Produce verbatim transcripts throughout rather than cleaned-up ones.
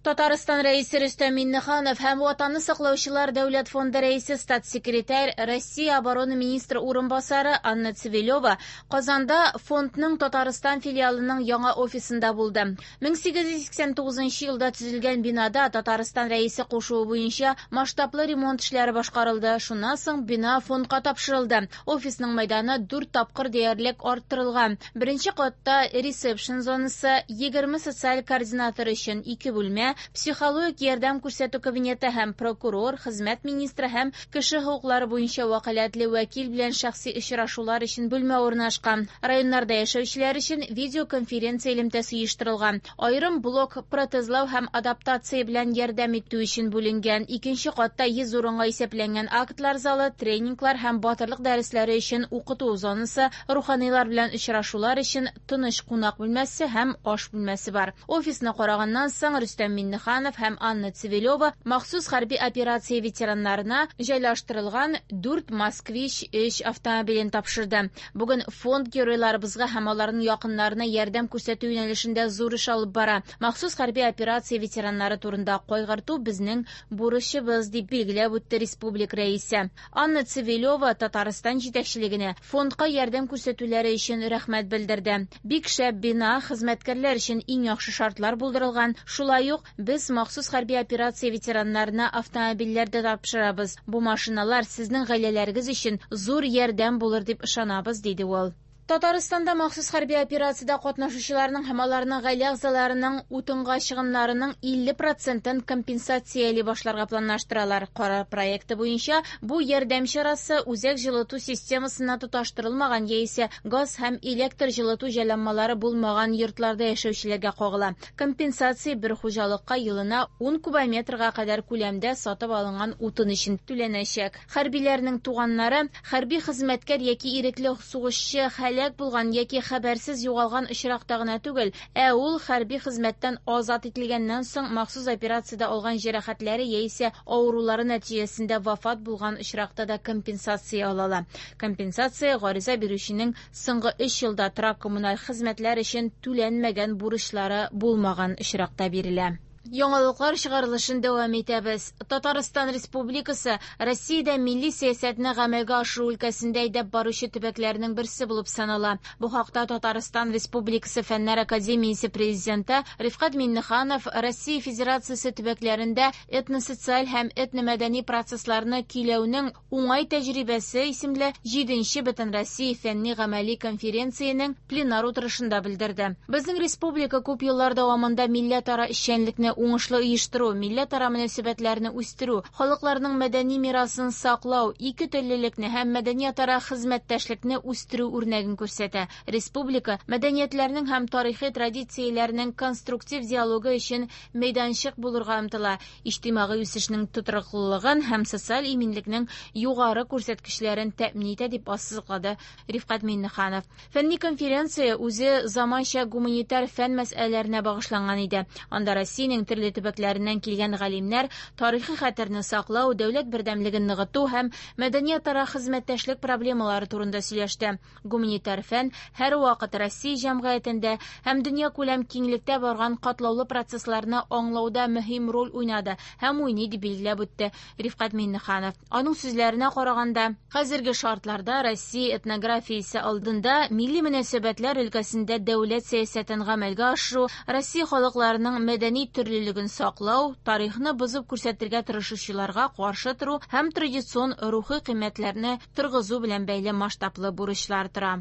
Татарстан Рәисе Рөстәм Миңнеханов һәм Ватанны саклаучылар дәүләт фонды рәисе статс-секретарь Россия оборона министры урынбасары Анна Цивилева Казанда фондның Татарстан филиалының яңа офисында булды. мең сигез йөз сиксән тугызынчы елда төзелгән бинада Татарстан Рәисе кушуы буенча масштаблы ремонт эшләре башкарылды. Шуннан соң бина фондка тапшырылды. Офисның мәйданы дүрт тапкыр диярлек арттырылган. Беренче катта ресепшн зонасы, егерме социаль координатор өчен ике бүлмә, психологик ярдәм күрсәтү кабинеты һәм прокурор, хезмәт министры һәм кеше хокуклары буенча вәкаләтле вәкил белән шәхси очрашулар өчен бүлмә урнашкан. Районнарда яшәүчеләр өчен видеоконференция элемтәсе оештырылган. Аерым блок протезлау һәм адаптация белән ярдәм итү өчен бүленгән. Икенче катта йөз урынга исәпләнгән актлар залы, тренинглар һәм батырлык дәресләре өчен укыту зонасы, руханилар белән очрашулар өчен тыныч кунак бүлмәсе һәм аш бүлмәсе бар. Офисны караганнан соң Рөстәм Миңнеханов һәм Анна Цивилева махсус хәрби операция ветераннарына җайлаштырылган дүрт Москвич өч автомобилен тапшырды. Бүген фонд геройларыбызга һәм аларның якыннарына ярдәм күрсәтү юнәлешендә зур эш алып бара. Махсус хәрби операция ветераннары турында кайгырту безнең бурычыбыз, дип билгеләп үтте республика рәисе. Анна Цивилева Татарстан җитәкчелегенә фондка ярдәм күрсәтүләре өчен рәхмәт белдерде. Бик шәп бина, хезмәткәрләр өчен иң яхшы шартлар булдырылган. Шулай ук без махсус хәрби операция ветераннарына автомобильләр дә тапшырабыз. Бу машиналар сезнең гаиләләрегез өчен зур ярдәм булыр дип ышанабыз, диде ул. Татарстанда махсус хәрби операциядә катнашучыларның һәм аларның гаилә әгъзаларының утынга чыгымнарының илле процентын компенсацияли башларга планлаштыралар. Карар проекты буенча бу ярдәм чарасы үзәк җылыту системасына тоташтырылмаган яисә газ һәм электр җылыту җайланмалары булмаган йортларда яшәүчеләргә кагыла. Компенсация бер хуҗалыкка елына ун кубометрга кадәр күләмдә сатып алынган утын өчен түләнәчәк. Хәрбиләрнең туганнары хәрби хезмәткәр яки ирекле сугышчы хәләк булган яки хәбәрсез югалган очракта гына түгел, ә ул хәрби хезмәттән азат ителгәннән соң махсус операциядә алган җәрәхәтләре яисә авырулары нәтиҗәсендә вафат булган очракта да компенсация ала ала. Компенсация гариза бирүченең соңгы өч елда торак коммуналь хезмәтләр өчен түләнмәгән бурычлары булмаган очракта бирелә. Яңалыклар чыгарылышын дәвам итәбез. Татарстан Республикасы Россиядә милли сәясәтне гамәлгә ашыру өлкәсендә әйдәп баручы төбәкләрнең берсе булып санала. Бу хакта Татарстан Республикасы Фәннәр академиясе президенты Рифкать Миңнеханов Россия Федерациясе төбәкләрендә этносоциаль һәм этномәдәни процессларны көйләүнең уңай тәҗрибәсе исемле җиденче Бөтенроссия фәнни гамәли конференциянең пленар утырышында белдерде. Безнең республика күп еллар дәвамында милләтара эшчәнлекне уңышлы оештыру, милләтара мөнәсәбәтләрне үстерү, халыкларның мәдәни мирасын саклау, ике теллелекне һәм мәдәниятара хезмәттәшлекне үстерү үрнәген күрсәтә. Республика мәдәниятләрнең һәм тарихи традицияләрнең конструктив диалогы өчен мәйданчык булырга омтыла. Иҗтимагый үсешнең тотрыклылыгын һәм социаль иминлекнең югары күрсәткечләрен тәэмин итә, дип ассызыклады Рифкать Миңнеханов. Фәнни конференция үзе заманча гуманитар фән мәсьәләләренә багышланган иде. Анда Россиянең төрле төбәкләреннән килгән галимнәр тарихи хәтерне саклау, дәүләт бердәмлеген ныгыту һәм мәдәниятара хезмәттәшлек проблемалары турында сөйләште. Гуманитар фән һәрвакыт Россия җәмгыятендә һәм дөньякүләм киңлектә барган катлаулы процессларны аңлауда мөһим роль уйнады һәм уйный, дип билгеләп үтте Рифкать Миңнеханов. Аның сүзләренә караганда, хәзерге шартларда Россия этнографиясе алдында милли мөнәсәбәтләр өлкәсендә дәүләт сәясәтен гамәлгә ашыру, Россия халыкларының мәдәни төрлелеген саклау, тарихны бозып күрсәтергә тырышучыларга каршы тору һәм традицион рухи кыйммәтләрне торгызу белән бәйле масштаблы бурычлар тора.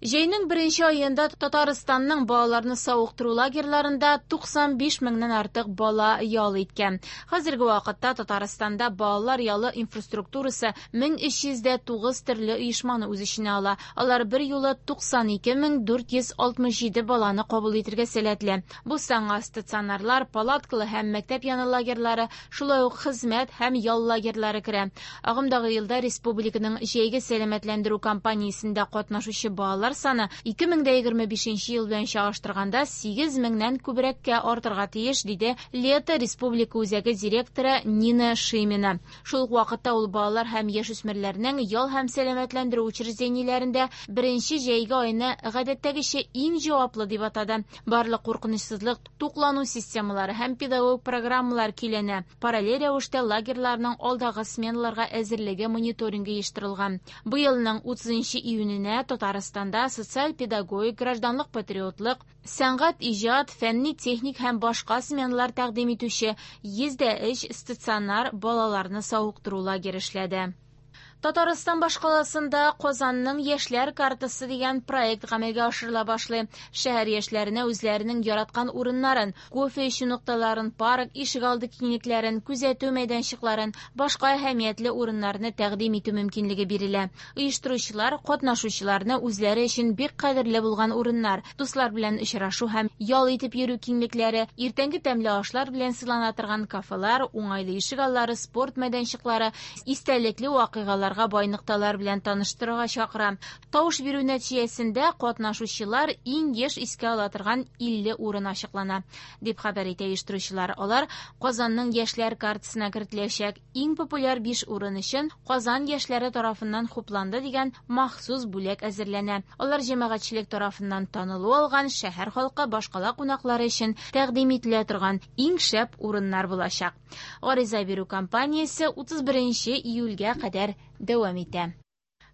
Җәйнең беренче аенда Татарстанның балаларны савыктыру лагерьларында туксан биш меңнән артык бала ял иткән. Хәзерге вакытта Татарстанда балалар ялы инфраструктурасы мең өч йөз дә тугыз төрле оешманы үз эченә ала. Алар бер юлы туксан ике мең дүрт йөз алтмыш җиде баланы кабул итергә сәләтле. Бу санга стационарлар, палаткалы һәм мәктәп яны лагерьлары, шулай ук хезмәт һәм ял лагерьлары керә. Агымдагы елда республиканың җәйге сәламәтләндерү кампаниясендә катнашучы балалар балалар саны ике мең дә егерме бишенче ел белән чагыштырганда сигез меңнән күбрәккә артырга тиеш, диде Лето республика үзәге директоры Нина Шимина. Шул ук вакытта ул балалар һәм яшүсмерләрнең ял һәм сәламәтләндерү учреждениеләрендә беренче җәйге айны гадәттәгечә иң җаваплы дип атады. Барлык куркынычсызлык, туклану системалары һәм педагог программалар көйләнә. Параллель рәвештә лагерьларның алдагы сменаларга әзерлеге мониторингы оештырылган. Быелның утызынчы июненә Татарстанда социаль-педагогик, гражданлык патриотлык, сәнгать, иҗат, фәнни, техник һәм башка сменалар тәкъдим итүче йөз дә өч стационар балаларны савыктыру лагере эшләде. Татарстан башкаласында Казанның яшьләр картасы дигән проект гамәлгә ашырыла башлый. Шәһәр яшьләренә үзләренең яраткан урыннарын, кофе эчү нокталарын, парк, ишегалды киңлекләрен, күзәтү мәйданчыкларын, башка әһәмиятле урыннарны тәкъдим итү мөмкинлеге бирелә. Оештыручылар катнашучыларны үзләре өчен бик кадерле булган урыннар, дуслар белән очрашу һәм ял итеп йөрү киңлекләре, иртәнге тәмле ашлар белән сыйлана торган кафелар, уңайлы ишегаллары, спорт мәйданчыклары, истәлекле вакыйгалар бай нокталар белән таныштырырга чакыра. Тавыш бирү нәтиҗәсендә катнашучылар иң еш искә ала торган илле урын ачыклана, дип хәбәр итә оештыручылар. Алар Казанның яшьләр картасына кертеләчәк. Иң популяр биш урын өчен Казан яшьләре тарафыннан хупланды дигән махсус бүләк әзерләнә. Алар җәмәгатьчелек тарафыннан танылу алган шәһәр халкы, башкала кунаклары өчен тәкъдим ителә торган иң шәп урыннар булачак. Гариза бирү кампаниясе утыз беренче июльгә кадәр дәвам итә.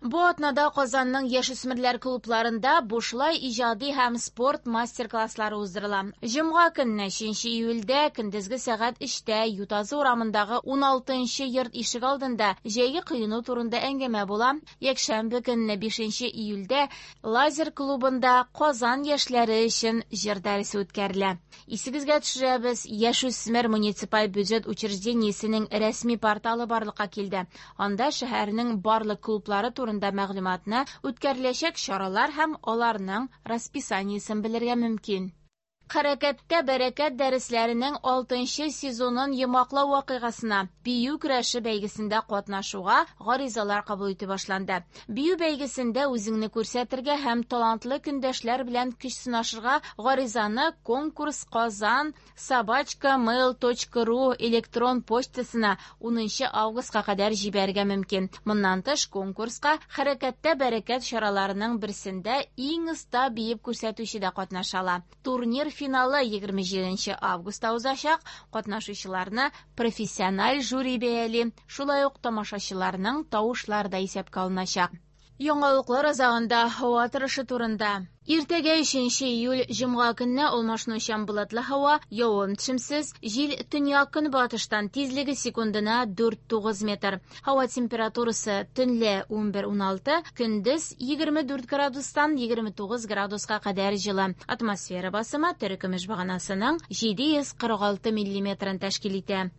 Бу атнада Казанның яшүсмерләр клубларында бушлай иҗади һәм спорт мастер-класслары уздырыла. Җомга көнне өченче июльдә көндезге сәгать өчтә Ютазы урамындагы уналтынчы йорт ишек алдында җәйге коену турында әңгәмә була. Якшәмбе көнне бишенче июльдә Лазер клубында Казан яшьләре өчен җыр дәресе үткәрелә. Исегезгә төшерәбез, яшүсмер муниципаль бюджет учреждениесенең рәсми порталы барлыкка килде. Анда шәһәрнең барлык клублары турында мәгълүматны, үткәреләчәк чаралар һәм аларның расписаниесен белергә мөмкин. Хәрәкәттә бәрәкәт дәресләренең алтынчы сезонын йомгаклау вакыйгасына бию көрәше бәйгесендә катнашуга гаризалар кабул итә башланды. Бию бәйгесендә үзеңне күрсәтергә һәм талантлы көндәшләр белән көч сынашырга гаризаны конкурс казан собачка mail точка ру электрон почтасына унынчы августка кадәр җибәрергә мөмкин. Моннан тыш конкурска Хәрәкәттә бәрәкәт чараларының берсендә иң оста биеп күрсәтүче дә катнаша ала. Турнир финалы егерме җиденче августта узачак. Катнашучыларны профессиональ жюри бәяли, шулай ук тамашачыларның тавышлары да исәпкә алыначак. Яңалыклар азагында һава торышы турында. Иртәгә өченче июль җомга көнне алмашынучан болытлы һава, явым-төшемсез, җил төньяк көнбатыштан тизлеге секундына дүрт тугыз метр. Һава температурасы төнлә унбер уналты, көндез егерме дүрт градустан егерме тугыз градуска кадәр җылы. Атмосфера басымы терекөмеш баганасының җиде йөз кырык алты миллиметрын тәшкил итә.